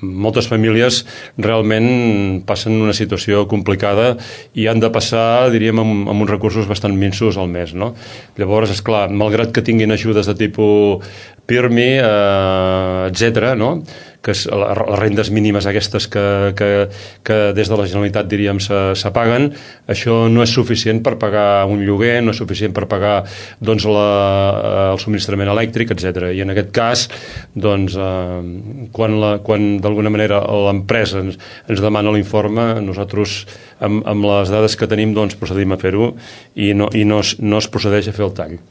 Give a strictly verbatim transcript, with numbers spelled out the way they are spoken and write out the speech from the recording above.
moltes famílies realment passen una situació complicada i han de passar, diríem, amb, amb uns recursos bastant minsos al mes, no? Llavors, esclar, malgrat que tinguin ajudes de tipus PIRMI, eh, etcètera, no? Que és les rendes mínimes aquestes que, que, que des de la Generalitat, diríem, se, se paguen, això no és suficient per pagar un lloguer, no és suficient per pagar doncs, la, el subministrament elèctric, etcètera. I en aquest cas, doncs, eh, quan, la, quan d'alguna manera l'empresa ens, ens demana l'informe, nosaltres, amb, amb les dades que tenim, doncs, procedim a fer-ho i, no, i no, es, no es procedeix a fer el tall.